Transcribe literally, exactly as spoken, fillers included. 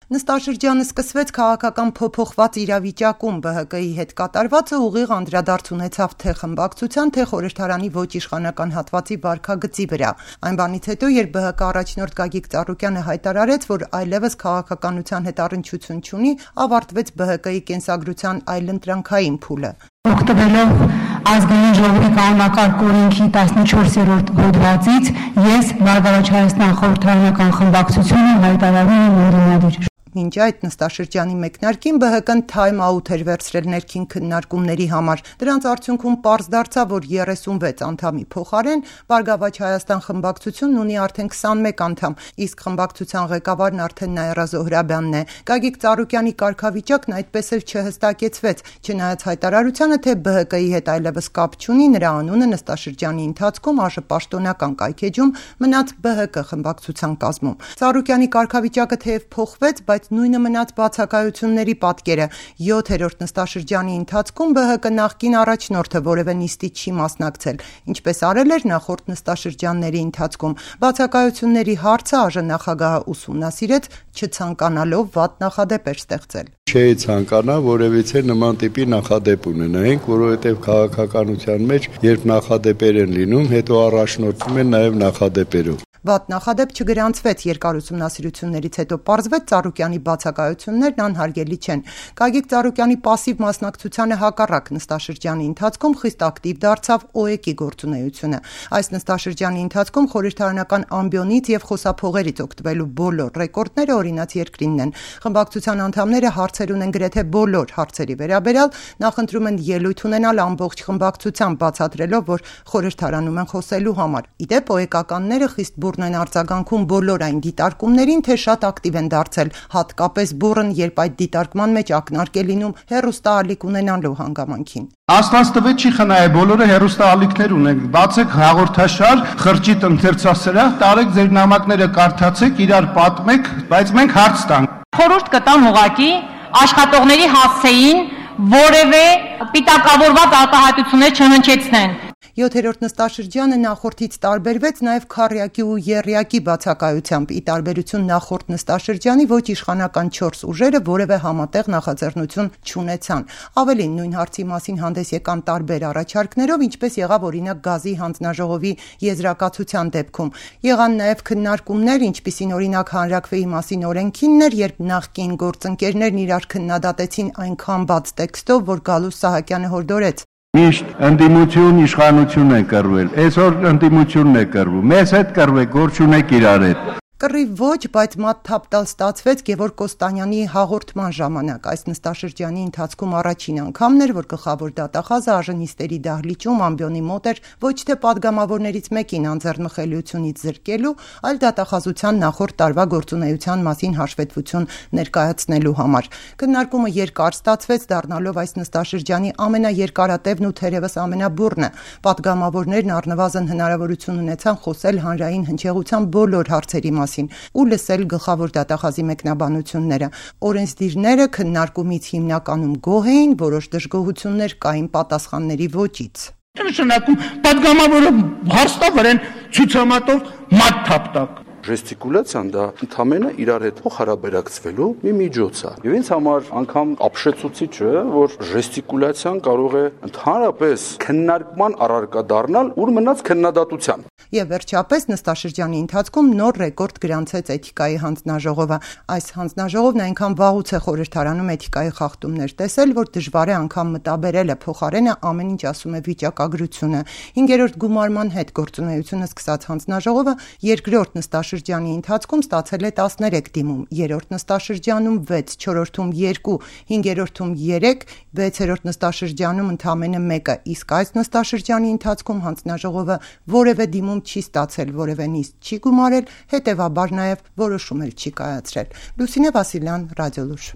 Նստաշրջանը սկսվեց քաղաքական փոփոխված իրավիճակում, ԲՀԿ-ի հետ կատարվածը ուղիղ անդրադարձ ունեցավ թե խմբակցության, թե խորհրդարանի ոչ իշխանական հատվածի վարքագծի վրա։ Այն բանից հետո, երբ ԲՀԿ առաջնորդ Գագիկ Ծառուկյանը հայտարարեց, որ այլևս քաղաքականության հետ առնչություն չունի, ավարտվեց ԲՀԿ-ի կենսագրության այլընտրանքային փուլը։ Օգտվելով ազգային ժողովի կանոնակարգ օրենքի տասնչորսերորդ հոդվածից ես Բարգավաճ Հայաստան խորհրդարանական խմբակցությունը հայտարարում եմ ընդդիմադիր։ Մինչ այդ նստաշրջանի մեկնարկին ԲՀԿ-ն թայմ աութ էր վերցրել ներքին քննարկումների համար։ Դրանց արդյունքում պարզ դարձավ, որ երեսունվեց անդամի փոխարեն Բարգավաճ Հայաստան խմբակցությունն ունի արդեն քսանմեկ անդամ, իսկ խմբակցության ղեկավարն արդեն Նաիրա Զոհրաբյանն է։ Գագիկ Ծառուկյանի կարգավիճակն այդպես էլ չհստակեցվեց, չնայած հայտարարությանը, թե ԲՀԿ-ի հետ այլևս կապ չունի, նրա անունը նստաշրջանի ընթացքում ԱԺ պաշտոնական կայքեջում մնաց ԲՀԿ խմբակցության կազմում։ Ծառուկյանի կարգավիճակը թեև փոխվեց, բայց նույնը մնաց բացակայությունների պատկերը։ յոթերորդ նստաշրջանի ընթացքում ԲՀԿ նախկին առաջնորդը որևէ նիստի չի մասնակցել, ինչպես արել էր նախորդ նստաշրջանների ընթացքում։ Բացակայությունների հարցը ԱԺ նախագահը ուսումնասիրեց, չցանկանալով վատ նախադեպ էր ստեղծել։ Չէի ցանկանա որևիցե նման տիպի նախադեպ ունենայինք, որովհետև քաղաքականության մեջ, երբ նախադեպեր են լինում, հետո առաջնորդվում են նաև նախադեպերով։ Վատ նախադեպ չգրանցվեց, երկար ուսումնասիրություններից հետո պարզվեց Ծառուկյանի բացակայություններն անհարգելի չեն։ Գագիկ Ծառուկյանի պասիվ մասնակցությանը հակառակ նստաշրջանի ընթացքում խիստ ակտիվ դարձավ ՕԵԿ-ի գործունեությունը։ Այս նստաշրջանի ընթացքում խորհրդարանական ամբիոնից եւ խոսափողերից օգտվելու բոլոր ռեկորդները օրինաց երկրինն են։ Խմբակցության անդամները հարցեր ունեն գրեթե բոլոր հարցերի վերաբերյալ, նախընտրում են ելույթ ունենալ ամբողջ խմբակցությամբ, բացատրելով, որ խորհրդարանում են խոսելու համար։ Իդեպ ՕԵԿ-ականները խիստ բուռն են արձագանքում բոլոր այն դիտարկումներին, թե շատ ակտիվ են դարձել, հատկապես բուռն, երբ այդ դիտարկման մեջ ակնարկ է լինում հեռուստաալիք ունենալու հանգամանքին։ Աստված տվեց չի խնայե, բոլորը հեռուստաալիքներ ունենք, բացեք հաղորդաշար, խրճիտ ընթերցասրահ, տարեք ձեր նամակները կարդացեք, իրար պատմեք, բայց մենք հարց տանք։ Խորհուրդ կտամ ուղղակի աշխատողների հասցեին որևէ պիտակավորված արտահայտություններ չհնչեցնեն։ յոթերորդ նստաշրջանը նախորդից տարբերվեց նաև քառյակի ու եռյակի բացակայությամբ, ի տարբերություն նախորդ նստաշրջանի ոչ իշխանական չորս ուժերը որևէ համատեղ նախաձեռնություն չունեցան։ Ավելին, նույն հարցի մասին հանդես եկան տարբեր առաջարկներով, ինչպես եղավ օրինակ գազի հանձնաժողովի եզրակացության դեպքում։ Եղան նաև քննարկումներ, ինչպիսին օրինակ հանրաքվեի մասին օրենքինն էր, երբ նախկին գործընկերներն իրար քննադատեցին այնքան բաց տեքստով, որ Գալուս Սահակյանը հորդորեց։ Միշտ ընդդիմություն իշխանություն է կռվել, այսօր ընդդիմությունն է կռվում, մեզ հետ կռվեք, գործ ունեք իրար հետ։ Կռիվ ոչ, բայց մատ թափ տալ ստացվեց Գևորգ Կոստանյանի հաղորդման ժամանակ։ Այս նստաշրջանի ընթացքում առաջին անգամն էր, որ գլխավոր դատախազը ԱԺ-նիստերի դահլիճում ամբիոնի մոտ էր ոչ թե պատգամավորներից մեկին անձեռնմխելիությունից զրկելու, այլ դատախազության նախորդ տարվա գործունեության մասին հաշվետվություն ներկայացնելու համար։ Քննարկումը երկար ստացվեց, դառնալով այս նստաշրջանի ամենաերկարատևն ու թերևս ամենաբուռնը։ Պատգամավորներն առնվազն հնարավորություն ունեցան խոսել հանրային հնչեղության բոլոր հարցերի մասին ու լսել գլխավոր դատախազի մեկնաբանությունները։ Օրենսդիրները քննարկումից հիմնականում գոհ էին, որոշ դժգոհություններ կային պատասխանների ոճից։ Նշանակում պատգամավորը հարց տա վրան ցուցամատով մատ թափ տակ։ Ժեստիկուլյացիան դա ընդհանրապես իրար հետ փոխհարաբերակցվելու մի միջոց է։ Եվ ինձ համար անգամ ապշեցուցիչ է, որ ժեստիկուլյացիան կարող է ընդհանրապես քննարկման առարկա դառնալ, ուր մնաց քննադատության։ Եվ վերջապես նստաշրջանի ընթացքում նոր ռեկորդ գրանցեց Էթիկայի հանձնաժողովը։ Այս հանձնաժողովն այնքան վաղուց է խորհրդարանում էթիկայի խախտումներ տեսել, որ դժվար է անգամ մտաբերել է փոխարենը ամեն ինչ ասում է վիճակագրությունը։ Հինգերորդ գումարման հետ գործունեությունը սկսած հանձնաժողովը երկրորդ նստաշրջանի ընթացքում ստացել է տասներեք դիմում, երրորդ նստաշրջանում վեց, չորրորդում երկու, հինգերորդում երեք, վեցերորդ նստաշրջանում ընդամենը մեկը, իսկ այս նստաշրջանի ընթացքում հանձնաժողովը որևէ դիմում չի ստացել, որևէ նիստ չի գումարել, հետևաբար նաև որոշում էլ չի կայացրել։ Լուսինե Վասիլյան, Ռադիոլուր։